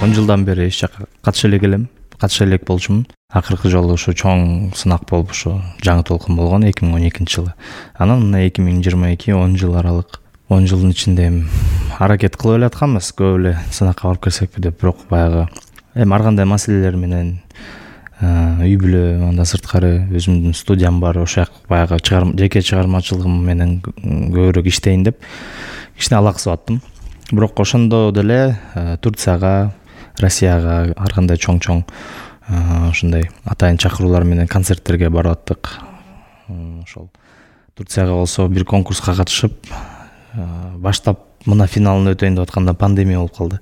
10 жылдан бери эч жака катыша элек болчумун. Акыркы жолу ушу чоң сынак болуп ушу жаңы толкун болгон 2012-жылы. Анан мына 2022 10 жыл аралык. 10 жылдын ичинде аракет кылып эле атканбыз, көп эле сынакка барып келсекпи деп, бирок баягы ар кандай маселелер менен үй бүлө, анда сырткары өзүмдүн студиям бар, ошол баягы жеке чыгармачылыгым менен көбүрөөк иштейин деп кичине алаксып аттым. Бирок ошондо деле Турцияга, Россияга ар кандай чоң ушундай атайын чакыруулар менен концерттерге барып аттык. Ошол Турцияга болсо бир конкурска катышып, баштап мына финалын өтөйүн деп атканда пандемия болуп калды.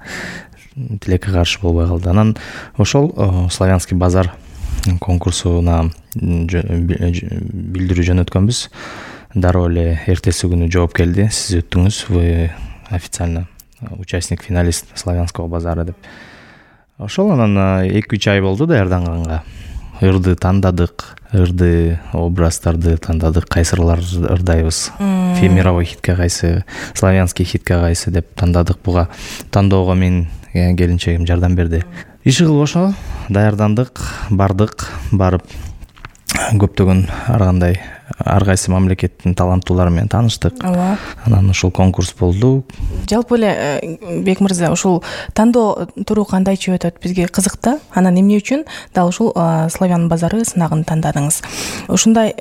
Тилекке каршы болбой калды. Анан ошол Славянский базар конкурсуна билдирүү жөнөткөнбүз. Дароо эле эртеси күнү жооп келди. Сиз өттүңүз, вы официально участник, финалист Славянского базара деп. Ошол анан 2-3 ай болду даярданганга. Ырды тандадык, ырды образдарды тандадык, кайсырлар ырдайбыз. Мировой хитке кайсы, славянский хитке кайсы деп тандадык. Буга тандоого мен келинчегим жардам берди. Иши кылып ошо даярдандык, бардык, барып көптөгөн ар кайсы мамлекеттин таланттуулары менен тааныштык. Анан ушул конкурс болду. Жалпы эле Бек мырза, ушул тандоо туру кандайча өтөт, бизге кызык да. Анан эмне үчүн дал ушул Славян базары сынагын тандадыңыз? Ушундай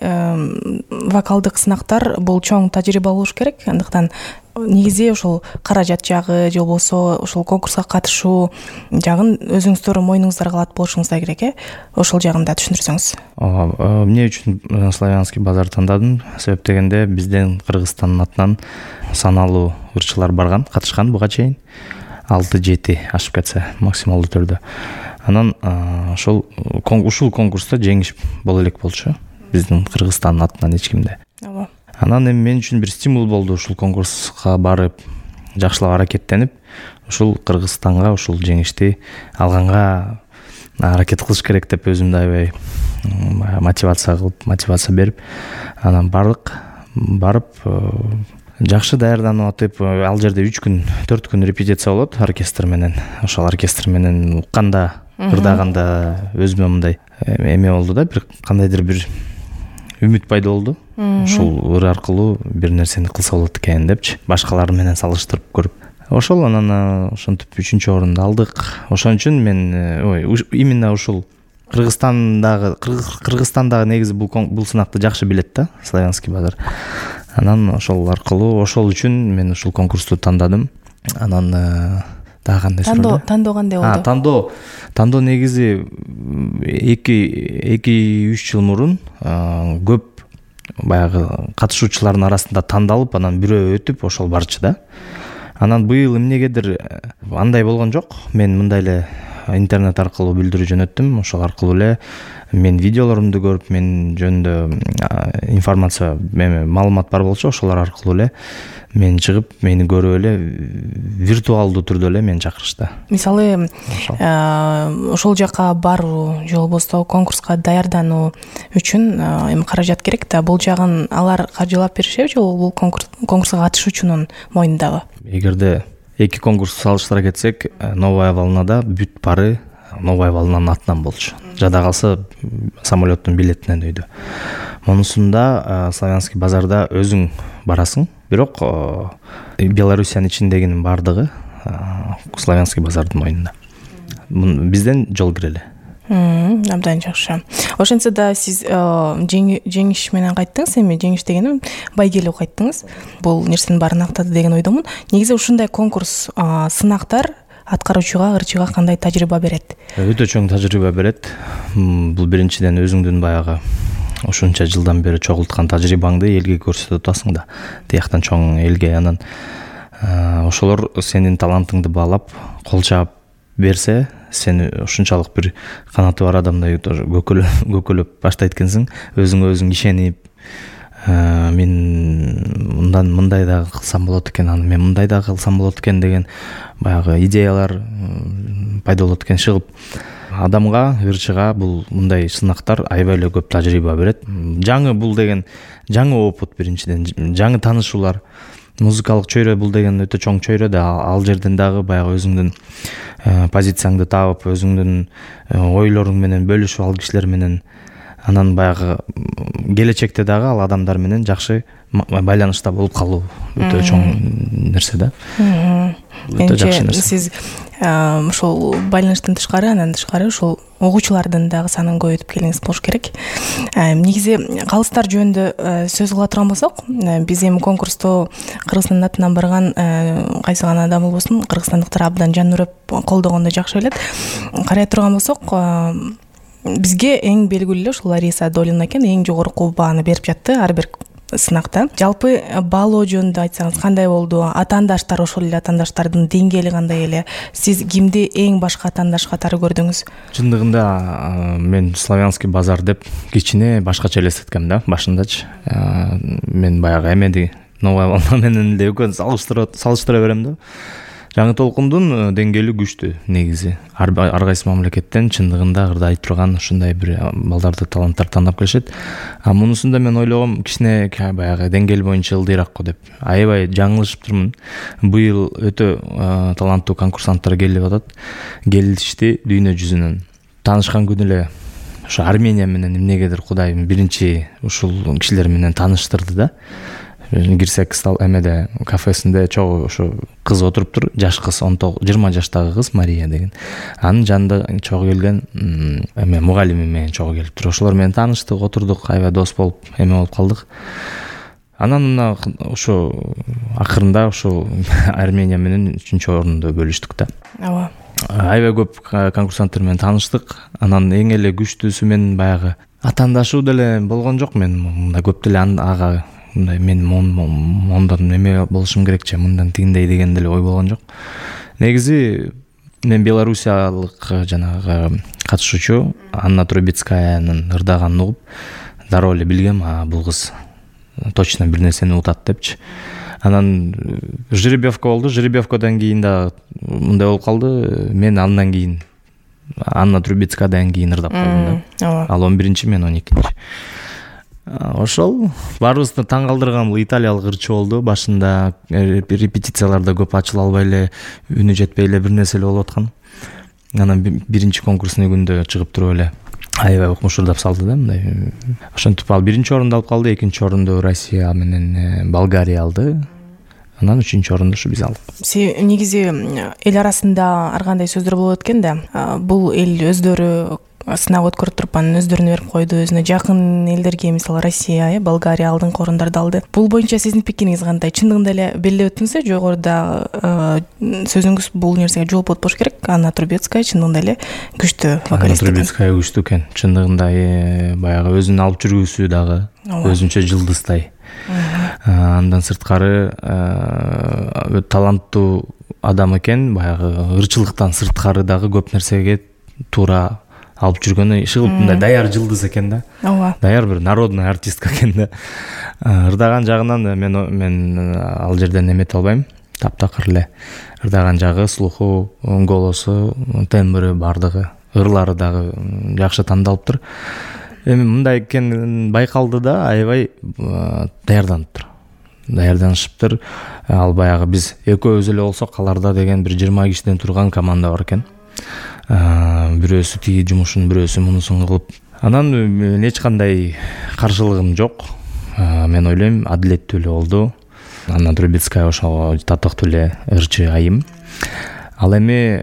вокалдык сынактар бул чоң тажрыйба болуш керек. Андыктан негизи ушул каражат жагы же болбосо ушул конкурска катышуу жагын өзүңүздөр мойнуңуздарга алат болушуңуздар керек, Ошол жагын да түшүндүрсөңүз. Эмне үчүн Славянский базар тандадым? Себеп дегенде бизден Кыргызстандын атынан саналуу ырчылар барган, катышкан буга чейин. 6-7 ашып кетсе максималдуу түрдө. Анан ушул конкурста жеңиш боло элек болчу. Биздин Кыргызстандын атынан эч кимде. Анан эми мен үчүн бир стимул болду ушул конкурска барып, жакшылап аракеттенип, ушул Кыргызстанга ушул жеңишти алганга аракет кылыш керек деп өзүмдү аябай мотивация берип, анан барып жакшы даярданып атып, ал жерде 3-4 күн репетиция болот оркестр менен. Ошол оркестр менен укканда, ырдаганда өзүмө мындай эме болду да, бир кандайдыр бир үмүт пайда болду. Ушул ыр аркылуу бир нерсени кылса болот экен депчи, башкалар менен салыштырып көрүп. Ошол анан ошентип 3-орунду алдык. Ошон үчүн мен именно ушул Кыргызстандагы негизи бул сынакты жакшы билет да, Славянский базар. Анан ошол аркылуу, ошол үчүн мен ушул конкурсту тандадым. Анан дагы кандай суроо? Тандоо кандай болду? Тандоо негизи 2-3 жыл мурун көп баягы катышуучулардын арасында тандалып, анан бирөө өтүп ошол барчу да. Анан быйыл эмнегедир андай болгон жок. Мен мындай эле интернет аркылуу билдирүү жөнөттүм. Ошол аркылуу эле мен видеолорумду көрүп, мен жөнүндө информация, маалымат бар болчу, ошолор аркылуу эле мен чыгып, мени көрүп эле виртуалдуу түрдө эле мени чакырышты. Мисалы, ошол жака баруу же болбосо конкурска даярдануу үчүн эми каражат керек да. Бул жагын алар каржылап беришеби же бул конкурска катышуучунун мойнундабы? Эгерде эки конкурсту салыштыра кетсек, Новая волнада бүт пары Новая волнанын атынан болчу. Жада калса самолеттун билетинен өйдү. Монусунда Славянский базарда өзүң барасың, бирок Белоруссиянын ичиндегинин бардыгы Славянский базардын мойнунда. Бизден жол кирели. Абдан жакшы. Ошентсе да сиз жеңиш менен кайттыңыз, эми жеңиш дегеним байгелүү кайттыңыз. Бул нерсенин баарын актады деген ойдомун. Негизи ушундай конкурс, сынактар аткаруучуга, ырчыга кандай тажрыйба берет? Өтө чоң тажрыйба берет. Бул биринчиден өзүңдүн баягы ушунча жылдан бери чогулткан тажрыйбаңды элге көрсөтүп атасың да. Тияктан чоң элге, анан ошолор сенин талантыңды баалап, кол чаап берсе, сен ушунчалык бир канаты бар адамдай көкөлөп баштайт экенсиң, өзүңө өзүң ишенип, мен мындай да кылсам болот экен, анан мен мындай да кылсам болот экен деген баягы идеялар пайда болот экен, чыгып. Адамга, ырчыга бул мындай сынактар аябай эле көп тажрыйба берет. Жаңы бул деген жаңы опыт биринчиден, жаңы таанышуулар. музыкалык чөйрө бул деген өтө чоң чөйрө да, ал жерден дагы баягы өзүңдүн позицияңды таап, өзүңдүн ойлоруң менен бөлүшүп, ал кишилер менен анан баягы келечекте дагы ал адамдар менен жакшы байланышта болуп калуу өтө чоң нерсе да. Өтө жакшы нерсе. Сиз ошол байланыштан тышкары, андан тышкары ошол угуучулардын дагы санын көбөйтүп келиңиз болуш керек. Негизи калыстар жөнүндө сөз кыла турган болсок, биз эми конкурсту Кыргызстандын атынан барган кайсы гана адам болбосун, кыргызстандыктар абдан жан үрөп колдогонду жакшы билет. Карай турган болсок, бизге эң белгилүү эле ушул Лариса Долина экен, эң жогорку бааны берип жатты ар бир сынакта. Жалпы баалоо жөнүндө айтсаңыз кандай болду? Атаандаштар, ошол эле атаандаштардын деңгээли кандай эле? Сиз кимди эң башка атаандаш катары көрдүңүз? Чындыгында мен Славянский базар деп кичине башкача элестеткем да башындачы. Мен баягы эмеди новая волна менен эле экөөнү салыштыра берем да. Жаңы толкундун деңгээли күчтүү негизи. Ар кайсы мамлекеттен чындыгында ырдай турган ушундай бир балдарды, таланттарды тандап келишет. Мунусунда мен ойлогом кичине баягы деңгээл боюнча ылдыйрак го деп. Аябай жаңылышыптырмын. Быйыл өтө таланттуу конкурсанттар келип атат. Келишти дүйнө жүзүнөн. Таанышкан күнү эле ошо Армения менен эмнегедир Кудайым биринчи ушул кишилер менен тааныштырды да. Кирсек эмеде кафесинде чогуу ошо кыз отуруптур, жаш кыз, 20 жаштагы кыз Мария деген. Анын жанында чогуу келген эме мугалими менен чогуу келиптир. Ошолор менен тааныштык, отурдук, аябай дос болуп, эме болуп калдык. Анан мына ошо акырында ошо Армения менен 3-орунду бөлүштүк да. Ооба. Аябай көп конкурсанттар менен тааныштык. Анан эң эле күчтүүсү мен баягы атаандашуу деле болгон жок. Мен мындай көп деле ага мындай мен мондан неме болушум керекчи, мындан тигиндей деген деле ой болгон жок. Негизи мен белоруссиялык жанагы катышуучу Анна Трубецкаянын ырдаганын угуп дароо эле билгем, бул кыз точно бир нерсени утат депчи. Анан жеребьевка болду. Жеребьевкадан кийин да мындай болуп калды. Мен андан кийин Анна Трубецкадан кийин ырдап калдым да. Ал 11-чи, мен 12-чи. Ошол баарыбызды таң калтырган бул италиялык ырчы болду. Башында репетицияларда көп ачыла албай эле, үнү жетпей эле бир нерсе эле болуп аткан. Анан биринчи конкурсный күндө чыгып туруп эле аябай укмушурдап салды да мындай. Ошентип ал 1-орунду алып калды, 2-орунду Россия менен Болгария алды. Анан 3-орунду ушу биз алдык. Негизи эл арасында ар кандай сөздөр болот экен да. Бул эл өздөрү сынак өткөрүп туруп анын өздөрүнө берип койду, өзүнө жакын элдерге, мисалы Россия, Болгария алдыңкы орундарды алды. Бул боюнча сиздин пикириңиз кандай? Чындыгында эле белгилеп өттүңүз, жогоруда сөзүңүз бул нерсеге жооп болуш керек. Анна Трубецкая чындыгында эле күчтүү вокалист. Анна Трубецкая күчтүү экен. Чындыгында баягы өзүнүн алып жүрүүсү дагы өзүнчө жылдыздай. Андан сырткары таланттуу адам экен, баягы ырчылыктан сырткары дагы көп нерсеге туура алып жүргөнү ишыгып мындай даяр жылдыз экен да. Ооба. Даяр бир народный артистка экен да. Ырдаган жагынан мен ал жерден эмете албайм. Таптакыр эле ырдаган жагы, слуху, голосу, тембри бардыгы, ырлары дагы жакшы тандалыптыр. Эми мындай экенин байкалды да, аябай даярданыптыр. Даярданышыптыр. Ал баягы биз экөөбүз эле болсок, аларда деген бир 20 кишиден турган команда бар экен. Бирөөсү тиги жумушун, бирөөсү мунусун кылып. Анан эч кандай каршылыгым жок. Мен ойлойм, адилеттүү эле болду. Анна Трубецкая ошого татыктуу эле ырчы айым. Ал эми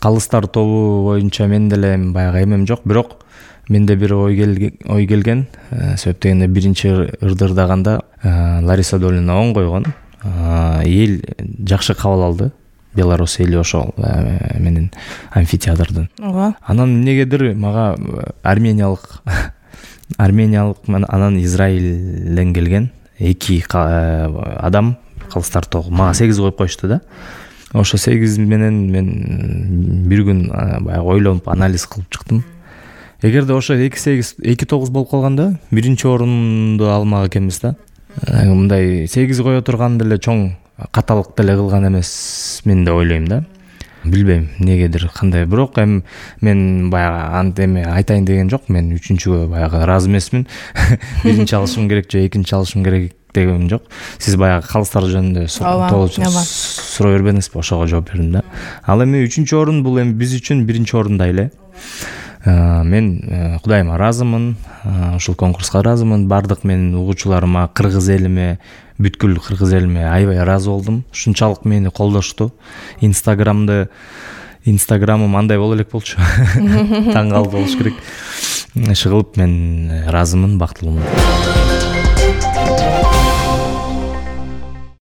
калыстар тобу боюнча мен деле баягы эмем жок, бирок менде бир ой келген. Себеп дегенде биринчи ырды ырдаганда Лариса Долина оң койгон. Эл жакшы кабыл алды. Беларусь эли ошол менен амфитеатрдын. Анан эмнегедир мага армениялык анан Израилден келген 2 адам калыстар тобу мага 8 коюп коюшту да. Ошо 8 менен мен бир күн баягы ойлонуп анализ кылып чыктым. Эгерде ошо 2-8 2-9 болуп калганда 1-орунду алмак экенбиз да. Мындай 8 кое турган деле чоң каталык деле кылган эмес мен деп ойлойм да. Билбейм эмнегедир кандай, бирок мен баягы эме айтайын деген жок. Мен 3-чүгө баягы ыраазы эмесмин. 1-чи алышым керек же 2-чи алышым керек дегеним жок. Сиз баягы калыстар жөнүндө суроо бербедиңизби? Ошого жооп бердим да. Ал эми 3-чү орун бул эми биз үчүн 1-чи орундай эле. Мен Кудайыма ыраазымын, ушул конкурска ыраазымын. Бардык менин угуучуларыма, кыргыз элиме, бүткүл кыргыз элиме аябай ыраазы болдум. Ушунчалык мени колдошту. Инстаграмым андай боло элек болчу. Таң калып болуш керек. Иши кылып мен ыраазымын, бактылуумун.